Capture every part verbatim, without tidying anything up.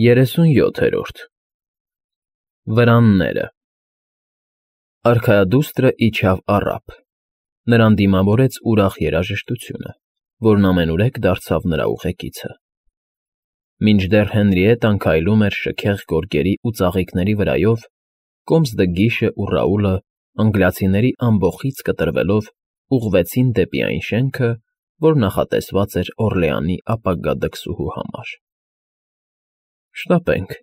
Երեսունյոթերորդ Վրանները Արքայադուստրը իջավ առափ, նրան դիմավորեց ուրախ երաժշտությունը, որն ամենուրեք դարձավ նրա ուղեկիցը։ Մինչդեռ Հենրիետտան քայլում էր շքեղ գորգերի ու ծաղիկների վրայով, կոմս Դգիշն ու Ռաուլը, անգլիացիների ամբոխից կտրվելով, ուղղվեցին դեպի այն շենքը, որ նախատեսված էր Օռլեանի ապագա դքսուհու համար։ «Շտապենք»,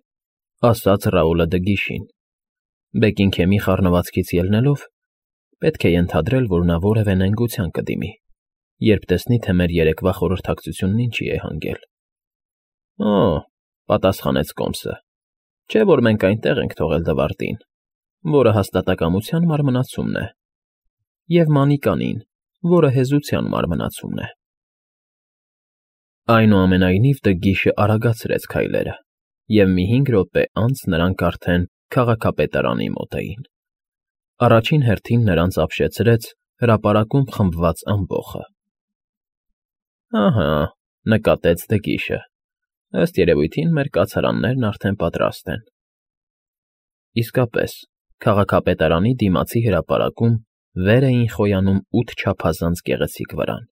֊ ասաց Ռաուլը Դգիշին։ Բեկինգհեմի խառնվածքից ելնելով, պետք է ենթադրել, որ նա որևէ նենգության կդիմի, երբ տեսնի, թե մեր երեկվա խորհրդակցությունն ինչի է հանգել։ «Օ,֊ պատասխանեց կոմսը,֊ չէ՞ որ մենք այնտեղ ենք թողել Դվարդին, որը հաստատակամության մարմնացումն է, և Մանիկանին, որը հեզության մարմնացումն է»։ Այնուամենայնիվ Դգիշն արագացրեց քայլերը, և մի հինգ րոպե անց նրանք արդեն քաղաքապետարանի մոտ էին։ Առաջին հերթին նրանց ապշեցրեց հրապարակում խմբված ամբոխը։ «Ահա,֊ նկատեց Դգիշը,֊ ըստ երևույթին մեր կացարաններն արդեն պատրաստ են»։ Իսկապես, քաղաքապետարանի դիմացի հրապարակում վեր էին խոյանում ութ չափազանց գեղեցիկ վրան,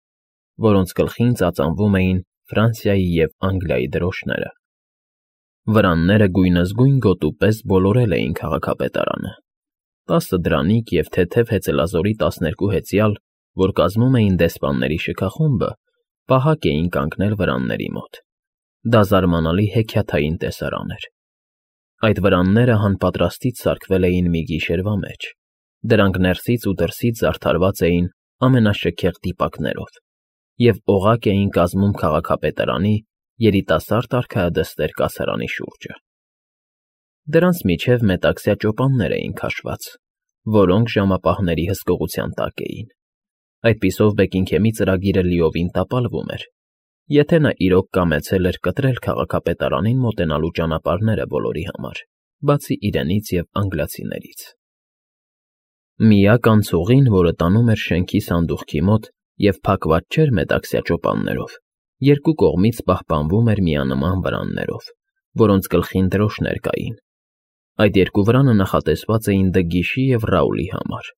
որոնց գլխին ծածանվում էին Ֆրանսիայի և Անգլիայի դրոշները։ Վրանները գույնզգույն գոտու պես բոլորել էին քաղաքապետարանը։ Տասը դրանիկ և թեթև հեծելազորի տասներկու հեծյալ, որ կազմում էին դեսպանների շքախումբը, պահակ էին կանգնել վրանների մոտ։ Դա զարմանալի հեքիաթային տեսարան էր։ Այդ վրանները հանպատրաստից սարքվել էին մի գիշերվա մեջ։ Դրանք ներսից ու դրսից զարդարված էին ամենաշքեղ դիպակներով և օղակ էին կազմում քաղաքապետարանի երիտասարդ արքայադստեր կացարանի շուրջը։ Դրանց միջև մետաքսյա ճոպաններ էին քաշված, որոնք ժամապահների հսկողության տակ էին։ Այդպիսով Բեկինգհեմի ծրագիրը լիովին տապալվում էր, եթե նա իրոք կամեցել էր կտրել քաղաքապետարանին մոտենալու ճանապարհները բոլորի համար, բացի իրենից և անգլիացիներից։ Միակ անցուղին, որը տանում էր շենքի սանդուղքի մոտ և փակված չէր մետաքսյա ճոպաններով, երկու կողմից պահպանվում էր միանման վրաններով, որոնց գլխին դրոշներ կային։ Այդ երկու վրանը նախատեսված էին Դգիշի և Ռաուլի համար։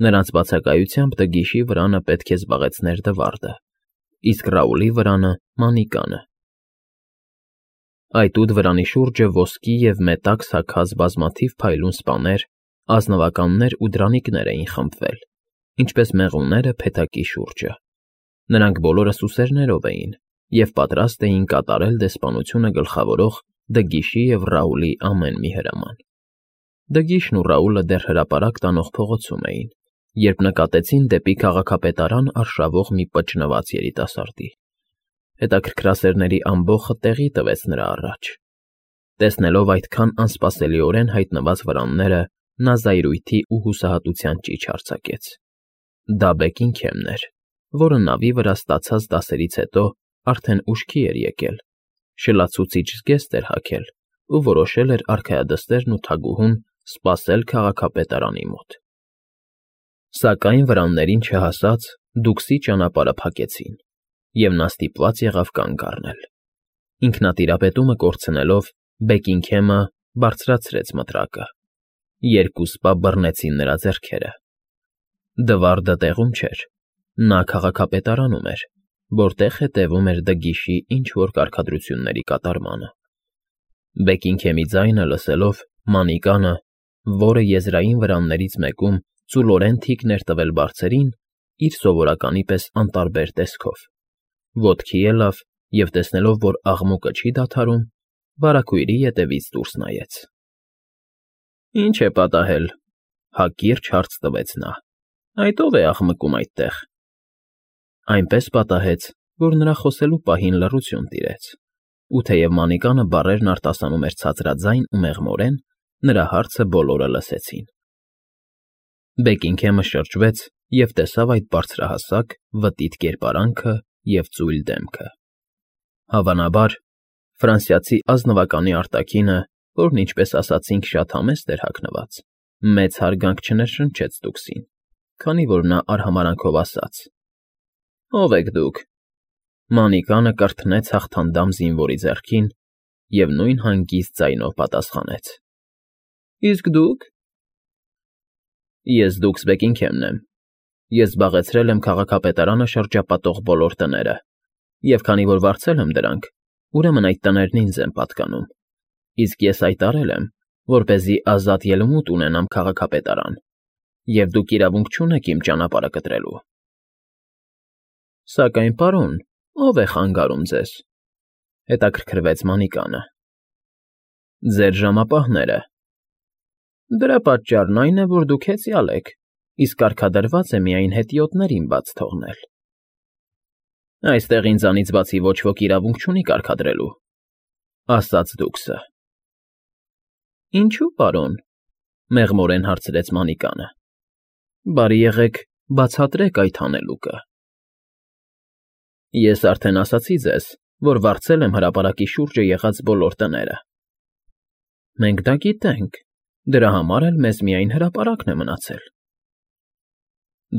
Նրանց բացակայությամբ Դգիշի վրանը պետք է զբաղեցներ Դվարդը, իսկ Ռաուլի վրանը՝ Մանիկանը։ Այդ ութ վրանի շուրջը ոսկի և մետաքս հագած բազմաթիվ փայլուն սպաներ, ազնվականներ ու դրանիկներ էին խմբվել, ինչպես մեղուները փեթակի շուրջը։ Նրանք բոլորը սուսերներով էին և պատրաստ էին կատարել դեսպանությունը գլխավորող Դգիշի և Ռաուլի ամեն մի հրաման։ Դգիշն ու Ռաուլը դեռ հրապարակ տանող փողոցում էին, երբ նկատեցին դեպի քաղաքապետարան արշավող մի պճնված երիտասարդի։ Հետաքրքրասերների ամբոխը տեղի տվեց նրա առաջ։ Տեսնելով այդքան անսպասելիորեն հայտնված վրանները, նա զայրույթի ու հուսահատության ճիչ արձակեց։ Դա Բեկինգհեմն էր, որը նավի վրա ստացած դասերից հետո արդեն ուշքի էր եկել, շլացուցիչ զգեստ էր հագել ու որոշել էր արքայադստերն ու թագուհուն սպասել քաղաքապետարանի մոտ։ Սակայն վրաններին չհասած դուքսի ճանապարհը փակեցին, և նա ստիպված եղավ կանգ առնել։ Ինքնատիրապետումը կորցնելով՝ Բեկինգհեմը բարձրացրեց մտրակը։ Երկու սպա բռնեցին նրա ձեռքերը։ Դվարդը տեղում չէր։ Նա քաղաքապետարանում էր, որտեղ հետևում էր Դգիշի ինչ֊որ կարգադրությունների կատարմանը։ Բեկինգհեմի ձայնը լսելով, Մանիկանը, որը եզրային վրաններից մեկում ծուլորեն թիկն էր տվել բարձրին, իր սովորականի պես անտարբեր տեսքով, ոտքի ելավ և, տեսնելով, որ աղմուկը չի դադարում, վարագույրի ետևից դուրս նայեց։ ֊ Ի՞նչ է պատահել,֊ հակիրճ հարց տվեց նա։֊ Այդ ո՞վ է աղմկում այդտեղ։ Այնպես պատահեց, որ նրա խոսելու պահին լռություն տիրեց, ու թեև Մանիկանը բառերն արտասանում էր ցածրաձայն ու մեղմորեն, նրա հարցը բոլորը լսեցին։ Բեկինգհեմը շրջվեց և տեսավ այդ բարձրահասակ, վտիտ կերպարանքը և ծույլ դեմքը։ Հավանաբար, ֆրանսիացի ազնվականի արտաքինը, որն, ինչպես ասացինք, շատ համեստ էր հագնված, մեծ հարգանք չներշնչեց դուքսին, քանի որ նա արհամարհանքով ասաց. «Ո՞վ եք դուք»։ Մանիկանը կրթնեց հաղթանդամ զինվորի ձեռքին և նույն հանգիստ ձայնով պատասխանեց. Իսկ դուք։ Ես Դուքս Բեկինգհեմն եմ։ Ես զբաղեցրել եմ քաղաքապետարանը շրջապատող բոլոր տները, և քանի որ վարձել եմ դրանք, ուրեմն այդ տներն ինձ են պատկանում, իսկ ես հայտարարել եմ, որպեսզի ազատ ելումուտ ունենամ քաղաքապետարան, և դուք իրավունք չունեք իմ ճանապարհը կտրելու։ Սակայն, պարոն, ո՞վ է խանգարում ձեզ,֊ հետաքրքրվեց Մանիկանը։ Ձեր ժամապահները։ Դրա պատճառն այն է, որ դուք հեծյալ եք, իսկ կարգադրված է միայն հետիոտներին բաց թողնել։ Այստեղ ինձանից բացի ոչ ոք իրավունք չունի կարգադրելու,֊ ասաց Դուքսը։ Ինչո՞ւ, պարոն,֊ մեղմորեն հարցրեց Մանիկանը։ Բարի եղեք բացատրեք այդ հանելուկը։ Ես արդեն ասացի ձեզ, որ վարձել եմ հրապարակի շուրջը եղած բոլոր տները։ Մենք դա գիտենք, դրա համար էլ մեզ միայն հրապարակն է մնացել։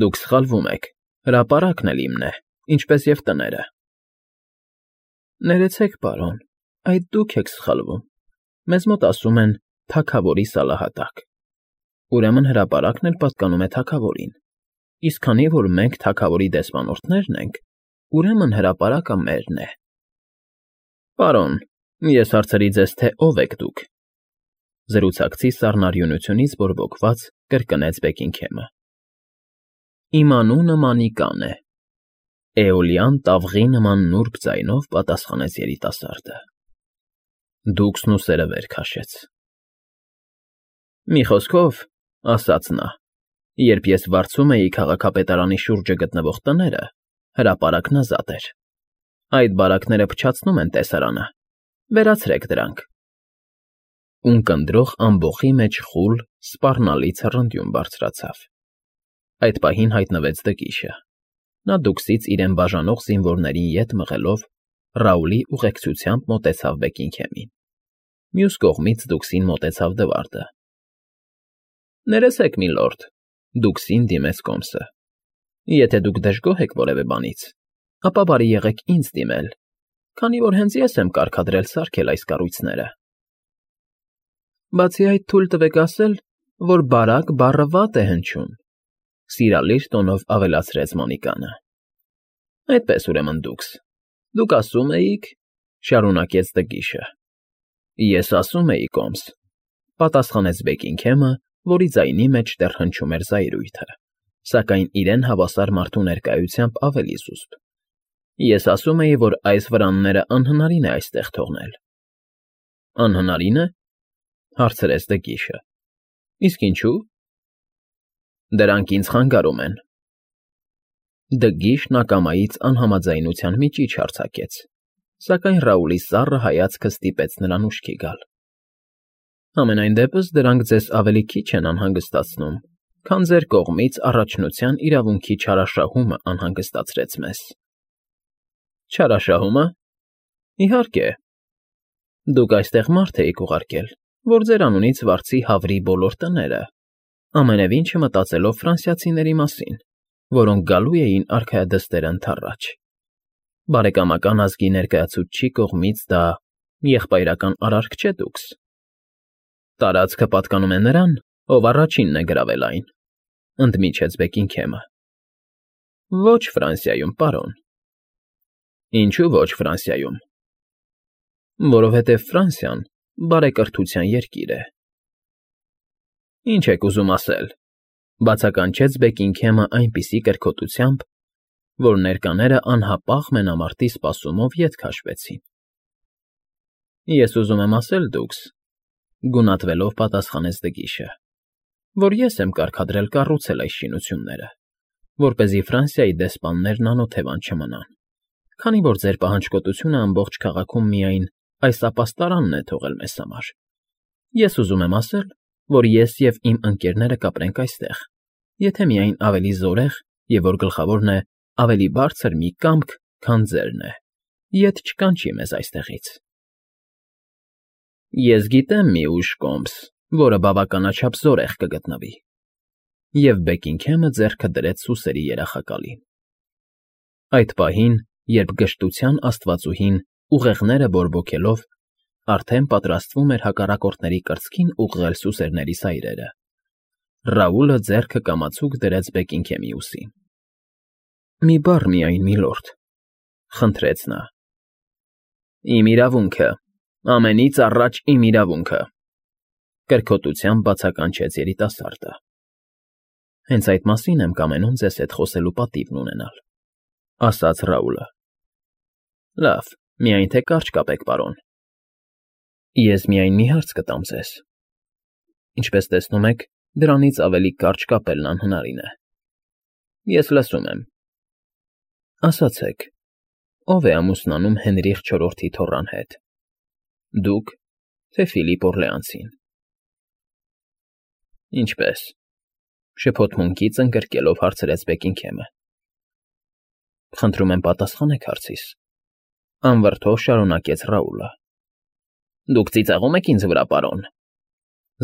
Դուք սխալվում եք, հրապարակն էլ իմն է, ինչպես և տները։ Ներեցեք, պարոն, այդ դուք եք սխալվում, մեզ մոտ ասում են թագավորի սալահատակ, ուրեմն հրապարակն էլ պատկանում է թագավորին, իսկ քանի որ մենք թագավորի դեսպանորդներն ենք, ուրեմն հրապարակը մերն է։ Պարոն, ես հարցրի ձեզ, թե ով եք դուք, զրուցակցի սառնարյունությունից բորբոքված կրկնեց Բեկինգհեմը։ Իմ անունը Մանիկան է, էոլյան տավղի նման նուրբ ձայնով պատասխանեց երիտասարդը։ Դուքսն ուսերը վեր քաշեց։ Մի խոսքով, ասաց նա, երբ ես վարձում էի քաղաքապետարանի շուրջը գտնվող տները, հրապարակն ազատ էր։ Այդ բարակները փչացնում են տեսարանը, վերացրեք դրանք։ Ունկնդրող ամբոխի մեջ խուլ, սպառնալի ցռնդյուն բարձրացավ։ Այդ պահին հայտնվեց Դգիշը։ Նա Դուքսից իրեն բաժանող զինվորներին ետ մղելով, Ռաուլի ուղեկցությամբ մոտեցավ Բեկինգհեմին։ Մյուս կողմից Դուքսին մոտեցավ Դվարդը։ Ներեցեք, միլորդ, Դուքսին դիմեց կոմսը։ Եթե դուք դժգոհ եք որևէ բանից, ապա բարի եղեք ինձ դիմել, քանի որ հենց ես եմ կարգադրել սարքել այս կառույցները։ Բացի այդ, թույլ տվեք ասել, որ բարակ բառը վատ է հնչում,֊ սիրալիր տոնով ավելացրեց Մանիկանը։ Այդպես ուրեմն, Դուքս, դուք ասում էիք,֊ շարունակեց Դգիշը։ Ես ասում էի, կոմս,֊ պատասխանեց Բեկինգհեմը, որի ձայնի մեջ դեռ հնչում էր զայրույթը, սակայն իրեն հավասար մարդու ներկայությամբ ավելի զուսպ։ Ես ասում էի, որ այս վրանները անհնարին է այստեղ թողնել։ Անհնարի՞ն է,֊ հարցրեց Դգիշը։ Իսկ ինչու՞։ Դրանք ինձ խանգարում են։ Դգիշն ակամայից անհամաձայնության միջիչ արձակեց, սակայն Ռաուլի սառը հայացքը ստիպեց նրան ուշքի գալ։ Համենայն դեպս դրանք ձեզ ավելի քիչ են անհանգստացնում, քան ձեր կողմից առաջնության իրավունքի չարաշահումը անհանգստացրեց մեզ։ Չարաշահումը։ Իհարկե։ Դուք այստեղ մարդ էիք ուղարկել, որ ձեր անունից վարձի հավրի բոլոր տները, ամենևին չմտածելով ֆրանսիացիների մասին, որոնք գալու էին արքայադստեր ընդառաջ։ Բարեկամական ազգի ներկայացուցչի կողմից դա եղբայրական արարք չէ, Դուքս։ Տարածքը պատկանում է նրան, ով առաջինն է գրավել այն,֊ ընդմիջեց Բեկինգհեմը։ Ոչ Ֆրանսիայում, պարոն։ Ինչու ոչ Ֆրանսիայում։ Որովհետև Ֆրանսիան բարեկրթության երկիր է։ Ինչ եք ուզում ասել,֊ բացականչեց Բեկինգհեմը այնպիսի կրքոտությամբ, որ ներկաները անհապաղ մենամարտի սպասումով ետ քաշվեցին։ Ես ուզում եմ ասել, Դուքս,֊ գունատվելով պատասխանեց Դգիշը, որ ես եմ կարգադրել կառուցել այս շինությունները, որպեսզի Ֆրանսիայի դեսպաններն անօթևան չմնան, քանի որ ձեր պահանջկոտությունը ամբողջ քաղաքում միայն այս ապաստարանն է թողել մեզ համար։ Ես ուզում եմ ասել, որ ես և իմ ընկերները կապրենք այստեղ, եթե միայն ավելի զորեղ և, որ գլխավորն է, ավելի բարձր մի կամք, քան ձերն է, ետ չկանչի մեզ այստեղից։ Ես գիտեմ մի ուժ, կոմս, որը բավականաչափ զորեղ կգտնվի։ Եվ Բեկինգհեմը ձեռքը դրեց սուսերի երախակալին։ Այդ պահին, երբ գժտության աստվածուհին, ուղեղները բորբոքելով, արդեն պատրաստվում էր հակառակորդների կրծքին ուղղել սուսերների սայրերը։ Ռաուլը ձեռքը կամացուկ դրեց Բեքինգհեմի ուսին։ ֊ Մի բառ միայն, միլորդ, խնդրեց նա։ ֊ Իմ իրավունքը, ամենից առաջ իմ իրավունքը, կրքոտությամբ բացականչեց երիտասարդը։ ֊ Հենց այդ մասին եմ կամենում ձեզ հետ խոսելու պատիվն ունենալ, ֊ ասաց Ռաուլը։ ֊ Լավ, միայն թե կարճ կապեք, պարոն։ Ես միայն մի հարց կտամ ձեզ։ Ինչպես տեսնում եք, դրանից ավելի կարճ կապելն անհնարին է։ Ես լսում եմ։ Ասացեք, ո՞վ է ամուսնանում Հենրիխ չորրորդի թոռան հետ։ Դուք, թե Ֆիլիպ Օրլեանցին։ Ինչպե՞ս, շփոթմունքից ընկրկելով հարցրեց Բեքինգհեմը։ Խնդրում եմ պատասխանեք հարցիս, անվրդով շարունակեց Ռաուլը։ Դուք ծիծաղում եք ինձ վրա, պարոն,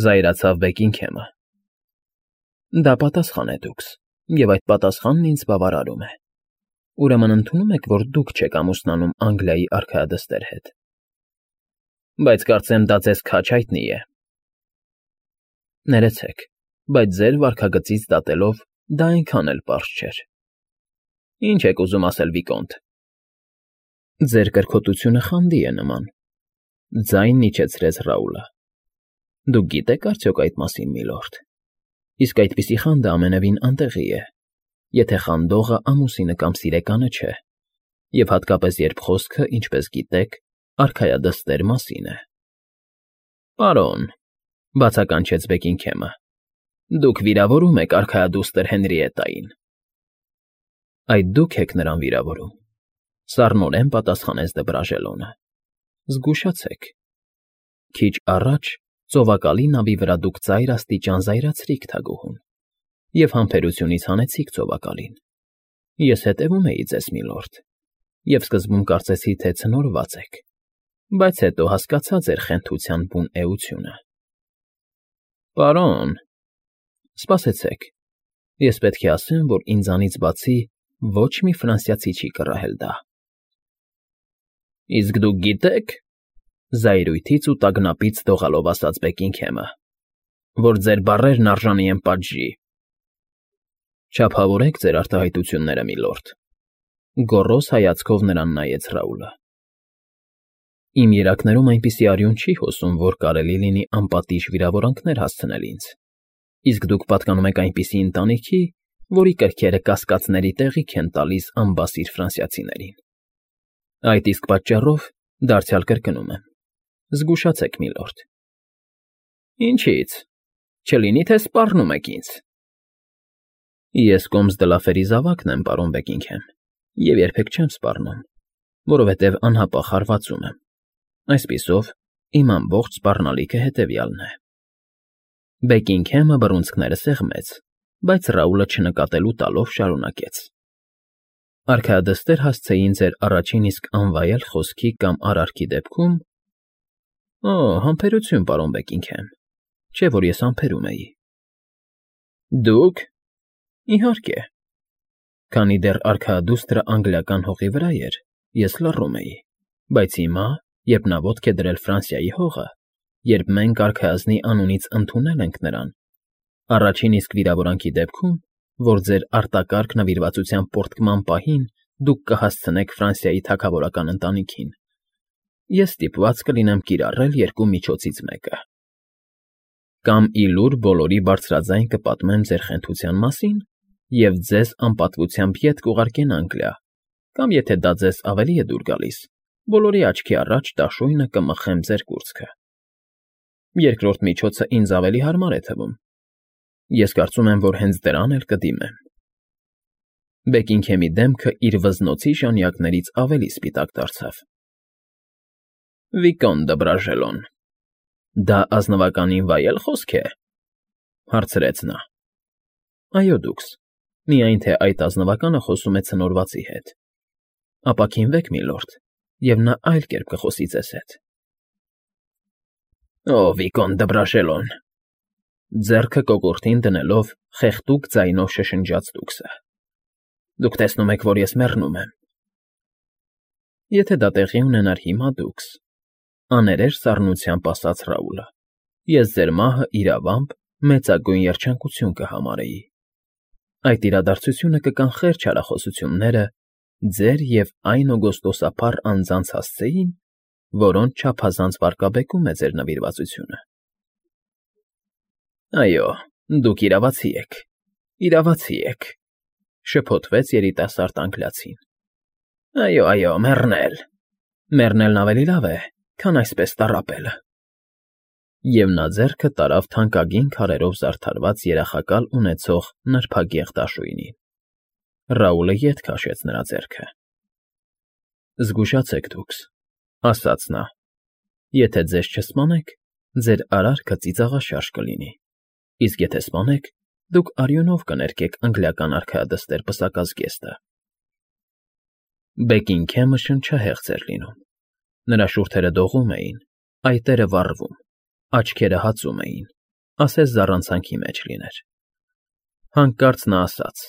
զայրացավ Բեքինգհեմը։ Դա պատասխան է դուքս, և այդ պատասխանն ինձ բավարարում է։ Ուրեմն ընդունում եք, որ դուք չեք ամուսնանում Անգլիայի արքայադստեր հետ։ Բայց կարծեմ դա ձեզ քաջ հայտնի է։ Ներեցեք, բայց ձեր վարքագծից դատելով դա այնքան էլ պարզ չէր։ Ինչ եք ուզում ասել, Վիկոնտ։ Ձեր կրքոտությունը խանդի է նման, ձայնն իջեցրեց Ռաուլը։ Դուք գիտեք արդյոք այդ մասին, միլորդ։ Իսկ այդպիսի խանդը ամենևին անտեղի է, եթե խանդողը ամուսինը կամ սիրեկանը չէ, և հատկապես երբ խոսքը, ինչպես գիտեք, արքայադստեր մասին է։ Պարոն, բացականչեց Բեքինգհեմը, դուք վիրավորում եք արքայադուստր Հենրիետային։ Այդ դուք եք նրան վիրավորում, սառնորեն պատասխանեց Դբրաժելոնը։ Զգուշացեք։ Քիչ առաջ ծովակալի նավի վրա դուք ծայր աստիճան զայրացրիք թագուհուն և համբերությունից հանեցիք ծովակալին։ Ես հետևում էի ձեզ, միլորդ, և սկզբում կարծեցի, թե ցնորված եք, բայց հետո հասկացա ձեր խենթության բուն էությունը։ Պարոն, սպասեցեք, ես պետք է ասեմ, որ ինձանից բացի ոչ մի ֆրանսիացի չի կռահել դա։ Իսկ դուք գիտեք, զայրույթից ու տագնապից դողալով ասաց Բեքինգհեմը, որ ձեր բառերն արժանի են պատժի։ Չափավորեք ձեր արտահայտությունները, միլորդ, գոռոզ հայացքով նրան նայեց Ռաուլը։ Իմ երակներում այնպիսի արյուն չի հոսում, որ կարելի լինի անպատիժ վիրավորանքներ հասցնել ինձ, իսկ դուք պատկանում եք այնպիսի ընտանիքի, որի կրքերը կասկածների տեղիք են տալիս անբասիր ֆրանսիացիներին։ Այդ իսկ պատճառով դարձյալ կրկնում եմ. զգուշացեք, միլորդ։ Ինչի՞ց, չլինի թե սպառնում եք ինձ։ Ես Կոմս դը Լաֆերի զավակն եմ, պարոն Բեքինգհեմ, և երբեք չեմ սպառնում, որովհետև անհապաղ հարվածում եմ։ Այսպիսով, իմ ամբողջ սպառնալիքը հետևյալն է։ Բեքինգհեմը բռունցքները սեղմեց, բայց Ռաուլը չնկատելու տալով շարունակեց. Արքայադստեր հասցեին ձեր առաջին իսկ անվայել խոսքի կամ արարքի դեպքում։ Օ, համբերություն, պարոն Բեքինգհեմ, չէ՞ որ ես համբերում էի։ Դուք։ Իհարկե։ Քանի դեռ արքայադուստրը անգլիական հողի վրա էր, ես լռում էի, բայց հիմա, երբ նա ոտք է դրել Ֆրանսիայի հողը, երբ մենք արքայազնի անունից ընդունել ենք նրան, առաջին իսկ վիրավորանքի դեպքում, որ ձեր արտակարգ նվիրվածության պոռթկման պահին դուք կհասցնեք Ֆրանսիայի թագավորական ընտանիքին, ես ստիպված կլինեմ կիրառել երկու միջոցից մեկը։ Կամ ի լուր բոլորի բարձրաձայն կպատմեմ ձեր խենթության մասին և ձեզ անպատվությամբ ետ կուղարկեն Անգլիա, կամ եթե դա ձեզ ավելի է դուր գալիս, բոլորի աչքի առաջ դաշույնը կմխեմ ձեր կուրծքը։ Երկրորդ միջոցը ինձ ավելի հարմար է թվում։ Ես կարծում եմ, որ հենց դրան էլ կդիմեմ։ Բեքինգհեմի դեմքը իր վզնոցի ժանյակներից ավելի սպիտակ դարձավ։ Վիկոն Դբրաժելոն, դա ազնվականին վայել խոսք է, հարցրեց նա։ Այո, դուքս, միայն թե այդ ազնվականը խոսում է ցնորվածի հետ։ Ապաքինվեք, միլորդ, և նա այլ կերպ կխոսի ձեզ հետ։ Օ, Վիկոն Դբրաժելոն, ձեռքը կոկորդին դնելով խեղդուկ ձայնով շշնջաց դուքսը։ Դուք տեսնում եք, որ ես մեռնում եմ։ Եթե դա տեղի ունենար հիմա, դուքս, Աներեր սառնությամբ ասաց Ռաուլը։ Ես ձեր մահը իրավամբ մեծագույն երջանկություն կհամարեի։ Այդ իրադարձությունը կկանխեր չարախոսությունները ձեր և այն օգոստոսափառ անձանց հասցեին, որոնց չափազանց վարկաբեկում է ձեր նվիրվածությունը։ Այո, դուք իրավացի եք, իրավացի եք, շփոթվեց երիտասարդ անգլիացին։ Այո, այո, մեռնել, մեռնելն ավելի լավ է, քան այսպես տառապելը։ Եվ նա ձեռքը տարավ թանկագին քարերով զարդարված երախակալ ունեցող նրբագեղ դաշույնին։ Ռաուլը ետ քաշեց նրա ձեռքը։ Զգուշացեք դուքս, ասաց նա։ Եթե ձեզ չսպանեք, ձեր արարքը ծիծաղաշարժ կլինի, իսկ եթե սպանեք, դուք արյունով կներկեք անգլիական արքայադստեր պսակած գեստը։ Բեկինգհեմը շնչահեղձ էր լինում։ Նրա շուրթերը դողում էին, այտերը վառվում, աչքերը հացում էին, ասես զառանցանքի մեջ լիներ։ Հանկարծ նա ասաց.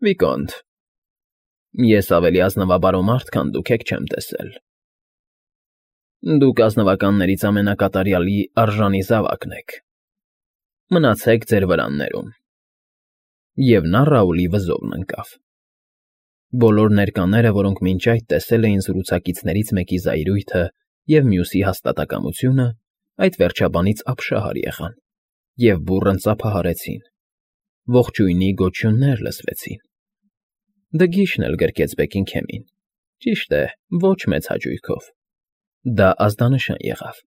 Վիկոնտ, ես ավելի ազնվաբարո մարդ, քան դուք եք չեմ տեսել։ Դուք ազնվականներից ամենակատարյալի արժանի զավակն եք։ Մնացեք ձեր վրաններում։ Եվ նա Ռաուլի վզովն ընկավ։ Բոլոր ներկաները, որոնք մինչ այդ տեսել էին զրուցակիցներից մեկի զայրույթը և մյուսի հաստատակամությունը, այդ վերջաբանից ապշահար եղան և բուռն ծափահարեցին։ Ողջույնի գոչյուններ լսվեցին։ Դգիշն էլ գրկեց Բեկինգհեմին, ճիշտ է, ոչ մեծ հաճույքով։ Դա ազդանշան եղավ։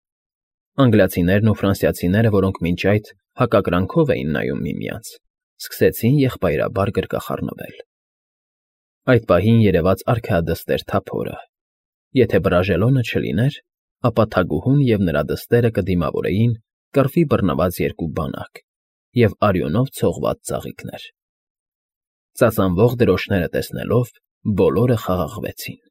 Անգլիացիներն ու ֆրանսիացիները, որոնք մինչ այդ հակակրանքով էին նայում միմյանց, սկսեցին եղբայրաբար գրկախառնվել։ Այդ պահին երևաց արքայադստեր թափորը։ Եթե Բրաժելոնը չլիներ, ապա թագուհուն և նրա դստերը կդիմավորեին կռվի բռնված երկու բանակ և արյունով ցողված ծաղիկներ։ Ծածանվող դրոշները տեսնելով՝ բոլորը խաղաղվեցին։